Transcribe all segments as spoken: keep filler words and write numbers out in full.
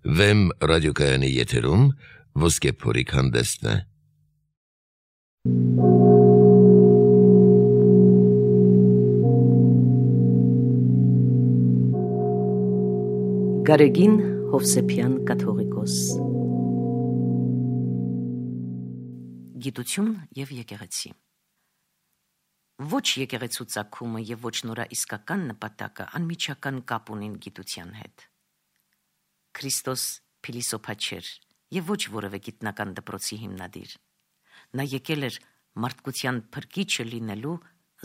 Վեմ ռադիոկայանի եթերում ոսկե փորիկ հանդեսն է։ Գարեգին Հովսեփյան կաթողիկոս։ Գիտություն և եկեղեցի։ Ոչ եկեղեցու ծագումը և ոչ նորա իսկական նպատակը անմիջական կապ ունին գիտության հետ։ Քրիստոս փիլիսոփա չէր և ոչ որևէ գիտնական դպրոցի հիմնադիր։ Նա եկել էր մարդկության փրկիչը լինելու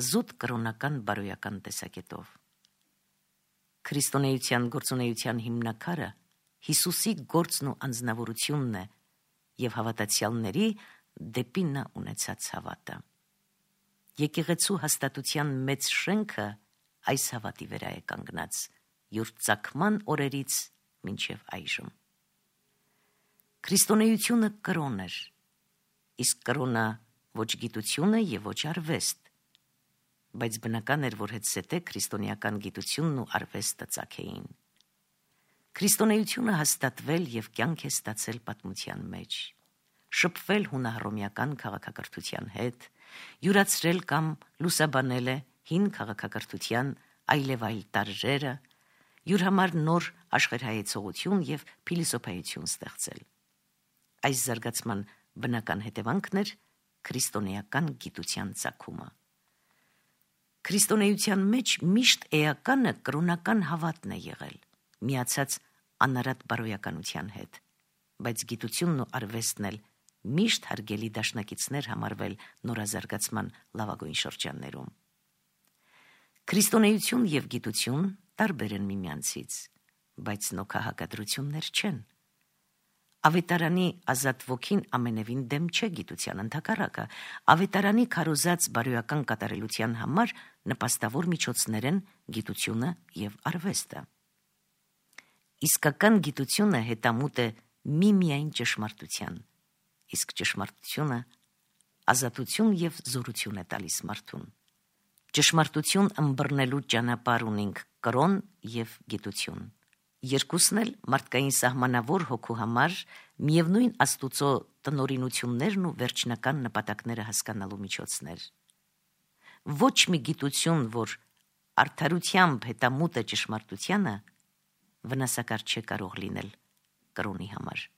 զուտ կրոնական բարոյական տեսակետով։ Քրիստոնեության գործունեության հիմնաքարը Հիսուսի գործն ու անձնավորությունն է և հավատացյալների դեպի նա ունեցած հավատը։ Եկեղեցու հաստատության մեծ շենքը այս հավատի վրա է կանգնած յուր ծագման օրերից մինչև այժմ։ Քրիստոնեությունը կրոն էր, իսկ կրոնը ոչ գիտություն է և ոչ արվեստ, բայց բնական էր, որ հետզհետե քրիստոնեական գիտությունն ու արվեստը ծագեին։ Քրիստոնեությունը հաստատվել և կյանք է ստացել պատմության մեջ, շփվել հունահռոմեական քաղաքակրթության հետ, յուրացրել կամ լուսաբանել է հին քաղաքակրթության այլևայլ տարրերը, յուր համար նոր աշխարհայեցողություն և փիլիսոփայություն ստեղծել։ Այս զարգացման բնական հետևանքն էր քրիստոնեական գիտության ծագումը։ Քրիստոնեության մեջ միշտ էականը կրոնական հավատն է եղել, միացած անարատ բարոյականության հետ, բայց գիտությունն ու արվեստն էլ միշտ հարգելի դաշնակիցներ համարվել նորազարգացման լավագույն շրջաններում։ Քրիստոնեություն և գիտություն տարբեր են միմյանցից, բայց նոքահակադրություններ չեն։ Ավետարանի ազատ ոգին ամենևին դեմ չէ գիտության, ընդհակառակը, ավետարանի քարոզած բարոյական կատարելության համար նպաստավոր միջոցներ են գիտությունը և արվեստը։ Իսկական գիտությունը հետամուտ է միմիայն ճշմարտության, իսկ ճշմարտությունը ազատություն և զորություն է տալիս մարդուն։ Ճշմարտություն ըմբռնելու ճանապարհ ունենք կրոն և գիտություն։ Երկուսն էլ մարդկային սահմանավոր հոգու համար միևնույն Աստուծո տնօրինություններն ու վերջնական նպատակները հասկանալու միջոցներ։ Ոչ մի գիտություն, որ արդարությամբ հետամուտ է ճշմարտությանը, վնասակար չէ կարող լինել կրոնի համար։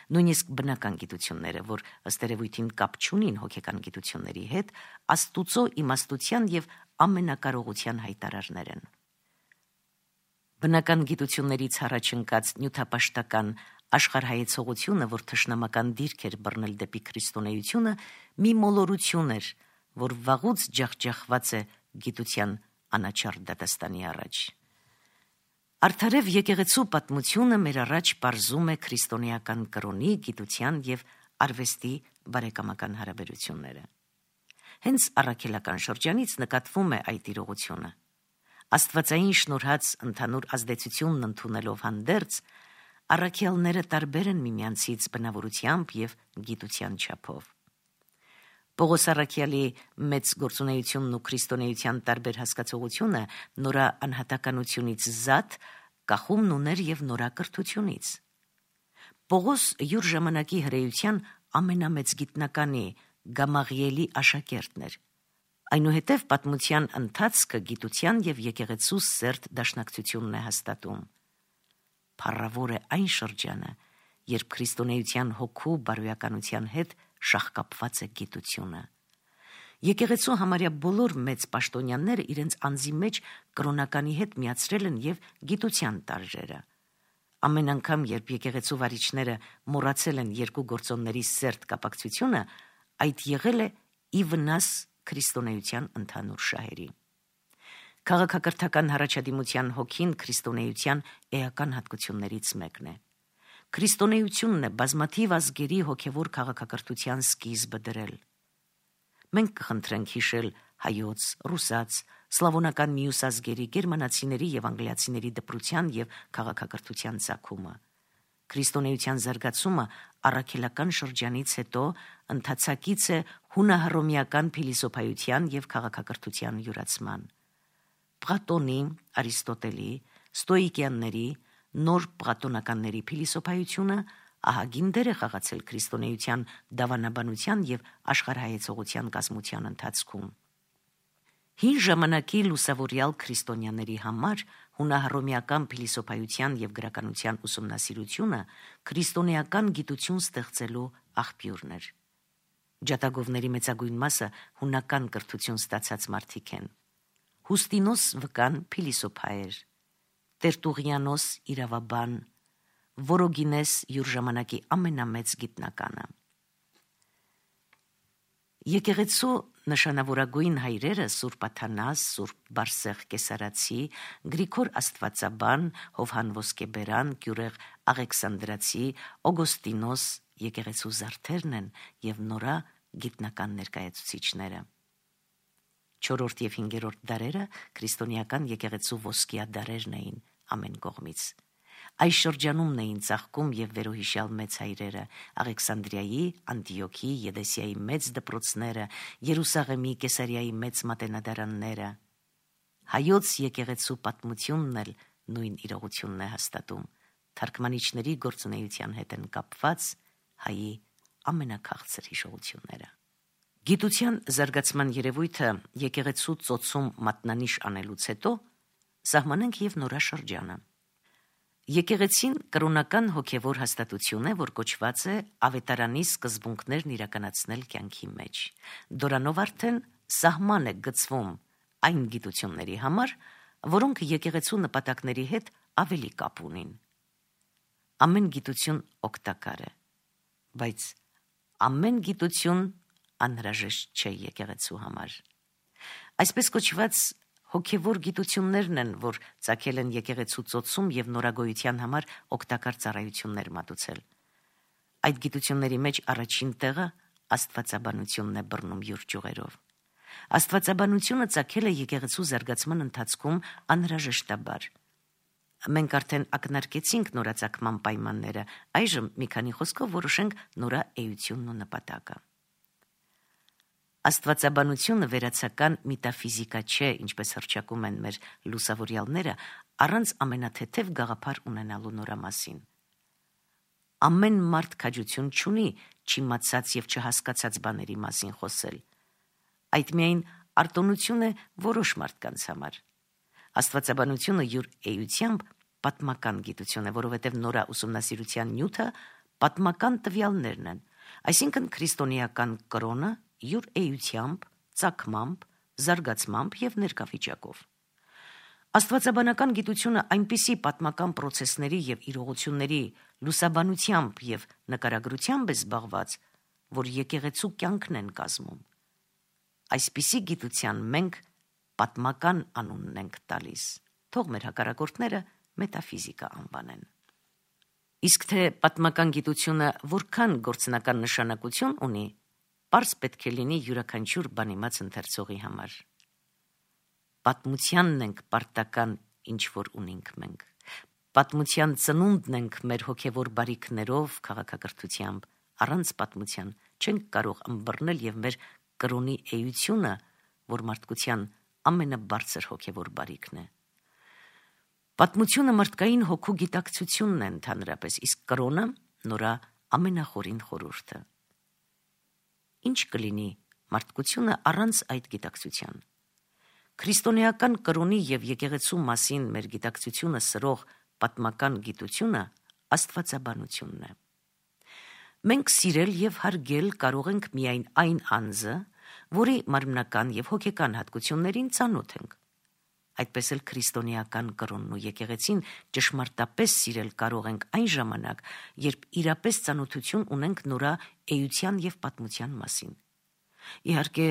Նույնիսկ բնական գիտությունները, որ ըստ երևույթին կապ չունին հոգեկան գիտությունների հետ, Աստուծո իմաստության և ամենակարողության հայտարարներ են։ Բնական գիտություններից առաջ ընկած նյութապաշտական աշխարհայեցողությունը, որ թշնամական դիրք էր բռնել դեպի քրիստոնեությունը, մի մոլորություն էր, որ վաղուց ջախջախված է գիտության անաչառ դատաստանի առաջ։ Արդարև եկեղեցու պատմությունը մեր առաջ պարզում է քրիստոնեական կրոնի, գիտության և արվեստի բարեկամական հարաբերությունները։ Հենց առաքելական շրջանից նկատվում է այդ իրողությունը։ Աստվածային շնորհած ընդհանուր ազդեցությունն ընդունելով հանդերձ, առաքյալները տարբեր են միմյանցից բնավորությամբ և գիտության չափով։ Պողոս առաքյալի մեծ գործունեությունն ու քրիստոնեության տարբեր հասկացողությունը նորա անհատականությունից զատ կախումն ուներ և նորա կրթությունից։ Պողոս յուր ժամանակի հրեության ամենամեծ գիտնականի Գամաղիելի աշակերտն էր։ Այնուհետև պատմության ընթացքը գիտության և եկեղեցու սերտ դաշնակցությունն է հաստատում։ Փառավոր է այն շրջանը, երբ քրիստոնեության հոգու բարոյականության հետ շաղկապված է գիտությունը։ Եկեղեցու համարյա բոլոր մեծ պաշտոնյաները իրենց անձի մեջ կրոնականի հետ միացրել են և գիտության տարրերը։ Ամեն անգամ, երբ եկեղեցու վարիչները մոռացել են երկու գործոնների սերտ կապակցությունը, այդ եղել է ի վնաս քրիստոնեության ընդհանուր շահերի։ Քաղաքակրթական հառաջադիմության հոգին քրիստոնեության էական հատկություններից մեկն է։ Քրիստոնեությունն է բազմաթիվ ազգերի հոգևոր քաղաքակրթության սկիզբը դրել։ Մենք կխնդրենք հիշել հայոց, ռուսաց, սլավոնական մյուս ազգերի, գերմանացիների և անգլիացիների դպրության և քաղաքակրթության ծագումը։ Քրիստոնեության զարգացումը առաքելական շրջանից հետո ընթացակից է հունահռոմեական փիլիսոփայության և քաղաքակրթության յուրացման։ Պլատոնի, Արիստոտելի, ստոիկյանների, նոր պլատոնականների փիլիսոփայությունը ահագին դեր է խաղացել քրիստոնեության դավանաբանության եւ աշխարհայեցողության կազմության ընթացքում։ Հին ժամանակի լուսավորյալ քրիստոնյաների համար հունահռոմեական փիլիսոփայության եւ գրականության ուսումնասիրությունը քրիստոնեական գիտություն ստեղծելու աղբյուրն էր։ Ջատագովների մեծագույն մասը հունական կրթություն ստացած մարդիկ են։ Հուստինոս վկան փիլիսոփա էր, Տերտուղիանոս իրավաբան, Որոգինես յուր ժամանակի ամենամեծ գիտնականը։ Եկեղեցու նշանավորագույն հայրերը Սուրբ Աթանաս, Սուրբ Բարսեղ Կեսարացի, Գրիգոր Աստվածաբան, Հովհան Ոսկեբերան, Գյուրեղ Աղեքսանդրացի, Օգոստինոս եկեղեցու զարդերն են եւ նորա գիտնական ներկայացուցիչները։ Չորրորդ եւ հինգերորդ դարերը քրիստոնեական եկեղեցու ոսկիա դարերն էին ամեն կողմից։ Այս շրջանումն էին ծաղկում եւ վերոհիշյալ մեծ հայրերը Աղեքսանդրիայի, Անտիոքի, Եդեսիայի մեծ դպրոցները, Երուսաղեմի, Կեսարիայի մեծ մատենադարանները։ Հայոց եկեղեցու պատմությունն էլ նույն իրողությունն է հաստատում։ Թարգմանիչների գործունեության հետ են կապված հայի ամենաքաղցր հիշողությունները։ Գիտության զարգացման երևույթը եկեղեցու ծոցում մատնանիշ անելուց հետո սահմանենք եւ նորաշրջանը։ Եկեղեցին կրոնական հոգևոր հաստատություն է, որ կոչված է ավետարանի սկզբունքներն իրականացնել կյանքի մեջ։ Դրանով արդեն սահման է գծվում այն գիտությունների համար, որոնք եկեղեցու նպատակների հետ ավելի կապ ունին։ Ամեն գիտություն օգտակար է, բայց ամեն գիտություն անհրաժեշտ չէ եկեղեցու համար։ Այսպես կոչված հոգևոր գիտություններն են, որ ծագել են եկեղեցու ծոցում եւ նորագոյության համար օգտակար ծառայություններ մատուցել։ Այդ գիտությունների մեջ առաջին տեղը աստվածաբանությունն է բռնում յուր ճյուղերով։ Աստվածաբանությունը ծագել է եկեղեցու զարգացման ընթացքում անհրաժեշտաբար։ Մենք արդեն ակնարկեցինք նորածագման պայմանները, այժմ մի քանի խոսքով որոշենք նորա էությունն ու նպատակը։ Աստվածաբանությունը վերացական մետաֆիզիկա չէ, ինչպես հռչակում են մեր լուսավորյալները, առանց ամենաթեթև գաղափար ունենալու նորա մասին։ Ամեն մարդ քաջություն չունի չիմացած եւ չհասկացած բաների մասին խոսել։ Այդ միայն արտոնություն է որոշ մարդկանց համար։ Աստվածաբանությունը յուր էությամբ պատմական գիտություն է, որովհետև նորա ուսումնասիրության նյութը պատմական տվյալներն են, այսինքն քրիստոնեական կրոնը յուր էությամբ, ծագմամբ, զարգացմամբ եւ ներկայվիճակով։ Աստվածաբանական գիտությունը այնպիսի պատմական պրոցեսների եւ իրողությունների լուսաբանությամբ եւ նկարագրությամբ է զբաղված, որ եկեղեցու կյանքն են կազմում։ Այսպիսի գիտության մենք պատմական անունն ենք տալիս, թող մեր հակառակորդները մետաֆիզիկա անվանեն։ Իսկ թե պատմական գիտությունը որքան գործնական նշանակություն ունի, պարզ պետք է լինի յուրաքանչյուր բանիմաց ընթերցողի համար։ Պատմությանն ենք պարտական ինչ որ ունենք մենք։ Պատմության ծնունդն ենք մեր հոգևոր բարիքներով, քաղաքակրթությամբ, առանց պատմության չենք կարող ըմբռնել եւ մեր կրոնի էությունը, որ մարդկության ամենաբարձր հոգևոր բարիքն է։ Պատմությունը մարդկային հոգու գիտակցությունն է ընդհանրապես, իսկ կրոնը նորա ամենախորին խորհուրդը։ Ինչ կլինի մարդկությունը առանց այդ գիտակցության։ Քրիստոնեական կրոնի եւ եկեղեցու մասին մեր գիտակցությունը սրող պատմական գիտությունը աստվածաբանությունն է։ Մենք սիրել եւ հարգել կարող ենք միայն այն անձը, որի մարմնական եւ հոգեկան հատկություններին ծանոթ ենք։ Այդպես էլ քրիստոնեական կրոնն ու եկեղեցին ճշմարտապես սիրել կարող ենք այն ժամանակ, երբ իրապես ծանոթություն ունենք նորա էության եւ պատմության մասին։ Իհարկե,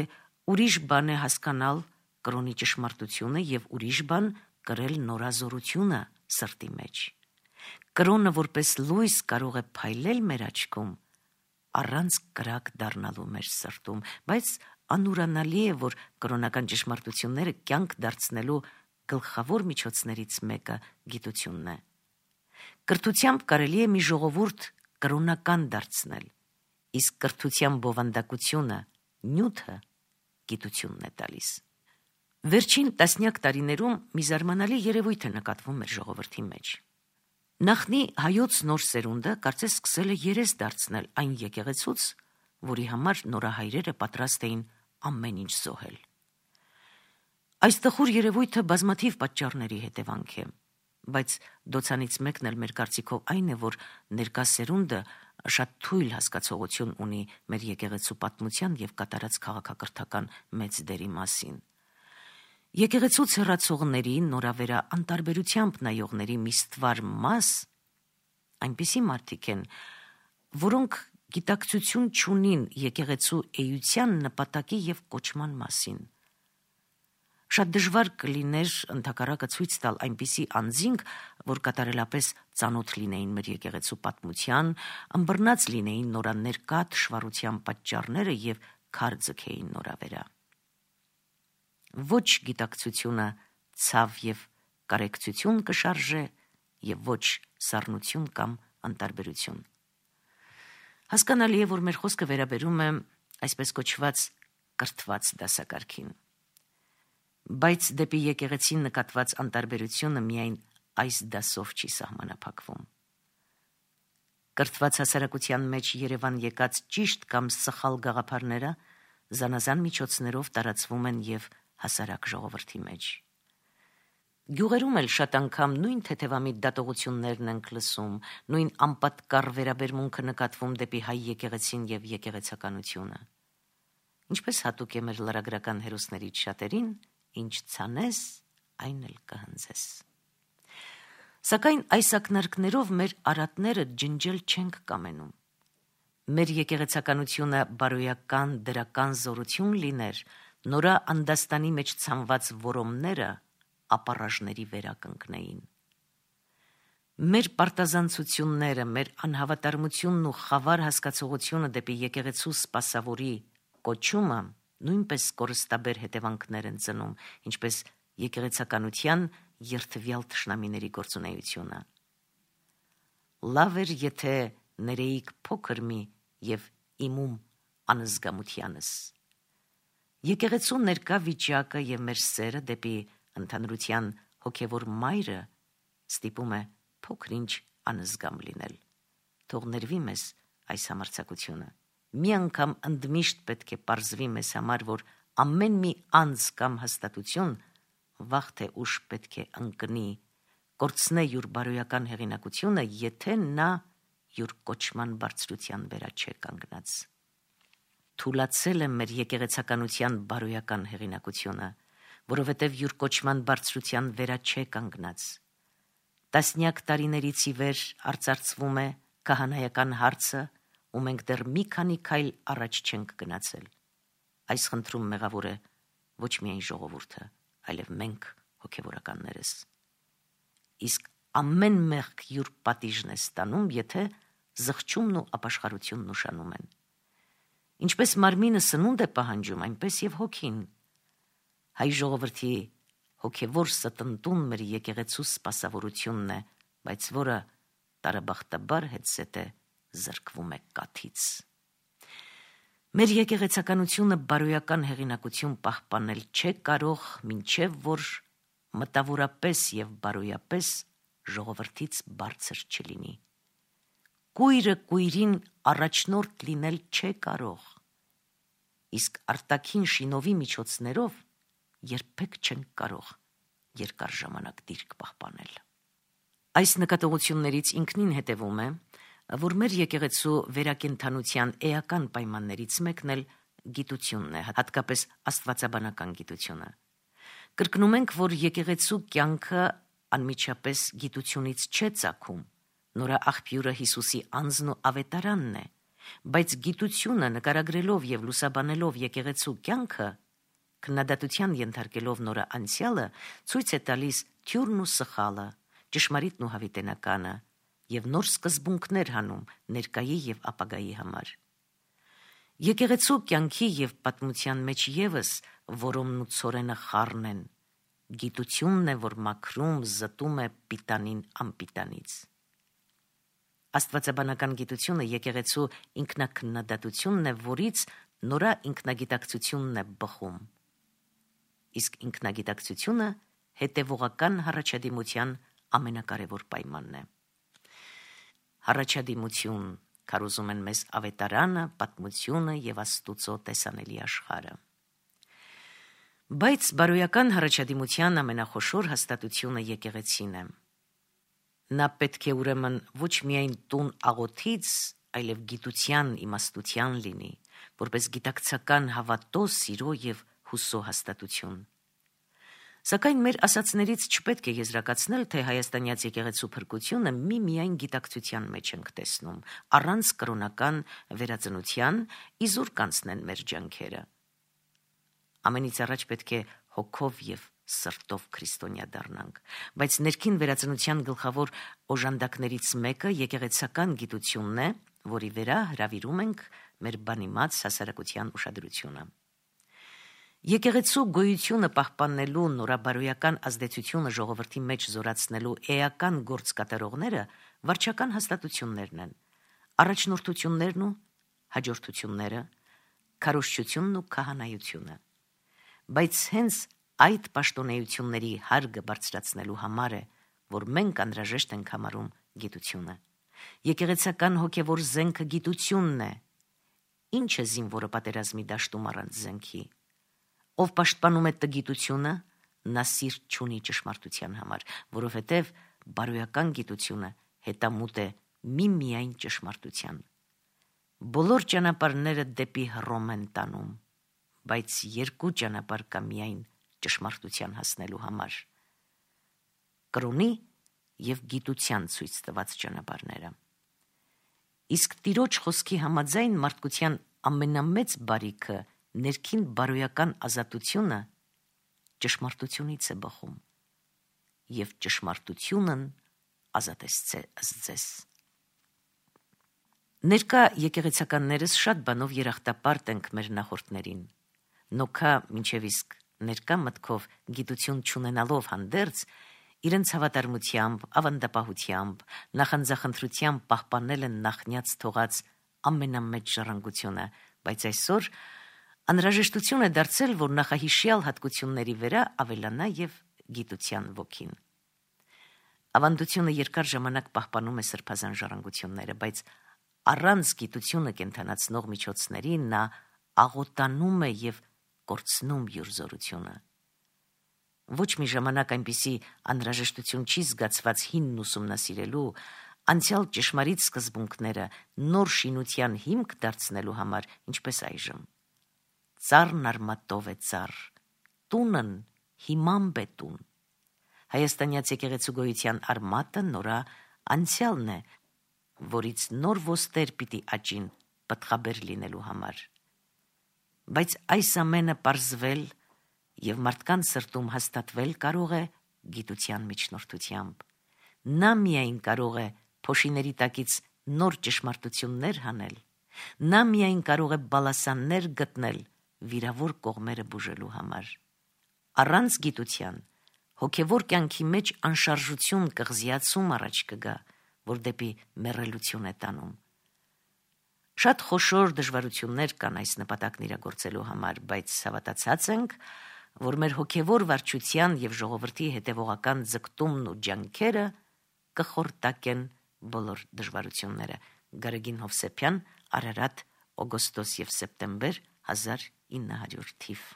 ուրիշ բան է հասկանալ կրոնի ճշմարտությունը եւ ուրիշ բան կրել նորազորությունը սրտի մեջ։ Կրոնը որպես լույս կարող է փայլել մեր աչքում, առանց կրակ դառնալու մեր սրտում, բայց անուրանալի է, որ կրոնական ճշմարտությունները կյանք դարձնելու գլխավոր միջոցներից մեկը գիտությունն է։ Կրթությամբ կարելի է մի ժողովուրդ կրոնական դարձնել, իսկ կրթության բովանդակությունը, նյութը գիտությունն է տալիս։ Վերջին տասնյակ տարիներում մի զարմանալի երևույթ է նկատվում մեր ժողովրդի մեջ։ Նախնի հայոց նոր սերունդը կարծես սկսել է երես դարձնել այն եկեղեցուց, որի համար նորահայրերը պատրաստ էին ամեն ինչ զոհել։ Այս տխուր երևույթը բազմաթիվ պատճառների հետևանք է, բայց դոցանից մեկն էլ մեր կարծիքով այն է, որ ներկա սերունդը շատ թույլ հասկացողություն ունի մեր եկեղեցու պատմության եւ կատարած քաղաքակրթական մեծ դերի մասին։ Եկեղեցուց հեռացողների, նորավերա անտարբերությամբ նայողների մի ստվար մաս այնպիսի մարդիկ են, որոնք գիտակցություն չունին եկեղեցու էության նպատակի եւ կոչման մասին։ Շատ դժվար կլիներ ընդհակառակը ցույց տալ այնպիսի անձինք, որ կատարելապես ծանոթ լինեին մեր եկեղեցու պատմության, ըմբռնած լինեին նորաններկա թշվառության պատճառները եւ քար ձգեին նորավերա։ Ոչ գիտակցությունը ցավ եւ կարեկցություն կշարժե եւ ոչ սառնություն կամ անտարբերություն։ Հասկանալի է, որ մեր խոսքը վերաբերում է այսպես կոչված կրթված դասակարգին, բայց դեպի եկեղեցին նկատված անտարբերությունը միայն այս դասով չի սահմանափակվում։ Կրթված հասարակության մեջ Երևան եկած ճիշտ կամ սխալ գաղափարները զանազան միջոցներով տարածվում են եւ հասարակ ժողովրդի մեջ։ Գյուղերում էլ շատ անգամ նույն թեթևամիտ դատողություններն ենք լսում, նույն անպատկառ վերաբերմունքը նկատվում դեպի հայ եկեղեցին եւ եկեղեցականությունը։ Ինչպես հատուկ է մեր լրագրական հերոսներից շատերին, ինչ ցանես, այն էլ կհնձես։ Սակայն այս ակնարկներով մեր արատները ջնջել չենք կամենում։ Մեր եկեղեցականությունը բարոյական դրական զորություն լիներ, նորա անդաստանի մեջ ցանված որոմները ապառաժների վերականգնեին։ Մեր պարտազանցությունները, մեր անհավատարմությունն ու խավար հասկացողությունը դեպի եկեղեցու սպասավորի կոչումը նույնպես կորստաբեր հետևանքներ են ծնում, ինչպես եկեղեցականության երթվյալ թշնամիների գործունեությունը։ Լավ էր, եթե ներեիք փոքր մի եւ իմում անզգամությանս։ Եկեղեցու ներկա վիճակը եւ մեր սերը դեպի ընդհանրության հոգևոր մայրը ստիպում է փոքրինչ անզգամ լինել։ Թող ներվի մեզ այս համարձակությունը։ Մի անգամ ընդմիշտ պետք է պարզվի մեզ համար, որ ամեն մի անձ կամ հաստատություն վաղ թե ուշ պետք է ընկնի, կորցնե յուր բարոյական հեղինակությունը, եթե նա յուր կոչման բարձրության վերա չէ կանգնած։ Թուլացել է մեր եկեղեցականության բարոյական հեղինակությունը, որովհետև յուր կոչման բարձրության վերա չէ կանգնած։ Տասնյակ տարիներից ի վեր արծարծվում է քահանայական հարցը, ու մենք դեռ մի քանի քայլ առաջ չենք գնացել։ Այս խնդրում մեղավոր է ոչ միայն ժողովուրդը, այլև մենք հոգևորականներս։ Իսկ ամեն մեղք յուր պատիժն է ստանում, եթե զղջումն ու ապաշխարությունն ուշանում են։ Ինչպես մարմինը սնունդ է պահանջում, այնպես եւ հոգին։ Հայ ժողովրդի հոգևոր ստնտուն մեր եկեղեցու սպասավորությունն է, բայց որը տարաբախտաբար հետսեթե զրկվում է կաթից։ Մեր եկեղեցականությունը բարոյական հեղինակություն պահպանել չէ կարող, մինչև որ մտավորապես եւ բարոյապես ժողովրդից բարձր չլինի։ Կույրը կույրին առաջնորդ լինել չէ կարող, իսկ արտաքին շինովի միջոցներով երբեք չենք կարող երկար ժամանակ դիրք պահպանել։ Այս նկատողություններից ինքնին հետևում է, որ մեր եկեղեցու վերակենդանության էական պայմաններից մեկն էլ գիտությունն է, հատկապես աստվածաբանական գիտությունը։ Կրկնում ենք, որ եկեղեցու կյանքը անմիջապես գիտությունից չէ ծագում, նորա աղբյուրը Հիսուսի անձն ու ավետարանն է, բայց գիտությունը նկարագրելով եւ լուսաբանելով եկեղեցու կյանքը, քննադատության ենթարկելով նորա անցյալը, ցույց է տալիս թյուրն ու սխալը, ճշմարիտն ու հավիտենականը եւ նոր սկզբունքներ հանում ներկայի եւ ապագայի համար։ Եկեղեցու կյանքի եւ պատմության մեջ եւս որոմն ու ցորենը խառն են, գիտությունն է, որ մաքրում, զտում է պիտանին անպիտանից։ Աստվածաբանական գիտությունը եկեղեցու ինքնակննադատությունն է, որից նորա ինքնագիտակցությունն է բխում։ Իսկ ինքնագիտակցությունը հետևողական հառաջադիմության ամենակարևոր պայմանն է։ հառաջադիմություն, քարոզում են մեզ ավետարանը, պատմությունը եւ Աստուծո տեսանելի աշխարհը։ Բայց բարոյական հառաջադիմության ամենախոշոր հաստատությունը եկեղեցին է։ Նա պետք է ուրեմն ոչ միայն տուն աղոթից, այլև գիտության իմաստության լինի, որպես գիտակցական հավատո, սիրո եւ հուսո հաստատություն։ Սակայն մեր ասացներից չպետք է եզրակացնել, թե հայաստանյաց եկեղեցու փրկությունը միմիայն գիտակցության մեջ ենք տեսնում, առանց կրոնական վերածնության իզուր կանցնեն մեր ջանքերը։ Ամենից առաջ պետք է հոգով եւ սրտով քրիստոնյա դառնանք, բայց ներքին վերածնության գլխավոր օժանդակներից մեկը եկեղեցական գիտությունն է, որի վրա հրավիրում ենք մեր բանիմաց հասարակության ուշադրությունը։ Եկեղեցու գոյությունը պահպանելու, նորաբարոյական ազդեցությունը ժողովրդի մեջ զորացնելու էական գործ կատարողները վարչական հաստատություններն են, առաջնորդություններն ու հաջորդությունները, քարոզչությունն ու քահանայությունը։ Բայց հենց այդ պաշտոնեությունների հարգը բարձրացնելու համար է, որ մենք անհրաժեշտ ենք համարում գիտությունը։ Եկեղեցական հոգևոր զենքը գիտությունն է։ Ինչ է զինվորը պատերազմի դաշտում առանց զենքի։ Ով պաշտպանում է տգիտությունը, նա սիրտ չունի ճշմարտության համար, որովհետև բարոյական գիտությունը հետամուտ է միմիայն ճշմարտության։ Բոլոր ճանապարհները դեպի Հռոմ են տանում, բայց երկու ճանապարհ կա միայն ճշմարտության հասնելու համար։ Կրոնի եւ գիտության ցույց տված ճանապարհները։ Իսկ Տիրոջ խոսքի համաձայն մարդկության ամենամեծ բարիքը ներքին բարոյական ազատությունը ճշմարտությունից է բխում, եւ ճշմարտությունն ազատեցե ձեզ։ Ներկա եկեղեցականներս շատ բանով երախտապարտ ենք մեր նախորդներին, նոքա մինչև իսկ ներկա մտքով գիտություն չունենալով հանդերձ, իրենց հավատարմությամբ, ավանդապահությամբ, նախանձախնդրությամբ պահպանել են նախնյաց թողած ամենամեծ ժառանգությունը, բայց այսօր անհրաժեշտություն է դարձել, որ նախահիշյալ հատկությունների վրա ավելանա եւ գիտության ոգին։ Ավանդությունը երկար ժամանակ պահպանում է սրբազան ժառանգությունները, բայց առանց գիտությունը կենթանացնող միջոցների նա աղոտանում է եւ կորցնում յուր զորությունը։ Ոչ մի ժամանակ այնպիսի անհրաժեշտություն չի զգացված հինն ուսումնասիրելու, անցյալ ճշմարիտ սկզբունքները նոր շինության հիմք դարձնելու համար, ինչպես այժմ։ Ծառն արմատով է ծառ, տունն հիմամբ է տուն։ Հայաստանյաց եկեղեցու գոյության արմատը նորա անցյալն է, որից նոր ոստեր պիտի աճին պտղաբեր լինելու համար։ Բայց այս ամենը պարզվել եւ մարդկանց սրտում հաստատվել կարող է գիտության միջնորդությամբ։ Նա միայն կարող է փոշիների տակից նոր ճշմարտություններ հանել, նա միայն կարող է բալասաններ գտնել վիրավոր կողմերը բուժելու համար։ Առանց գիտության հոգևոր կյանքի մեջ անշարժություն, կղզիացում առաջ կգա, որ դեպի մեռելություն է տանում։ Շատ խոշոր դժվարություններ կան այս նպատակն իրագործելու համար, բայց հավատացած ենք, որ մեր հոգևոր վարչության եւ ժողովրդի հետևողական ձգտումն ու ջանքերը կխորտակեն բոլոր դժվարությունները։ Գարեգին Հովսեփյան, Արարատ, օգոստոս եւ սեպտեմբեր հազար ինը հարյուր թիվ։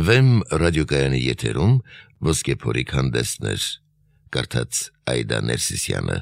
Վեմ ռադիոկայանի եթերում ոսկե փորիկ հանդեսներ, կարդաց Այդա Ներսիսյանը։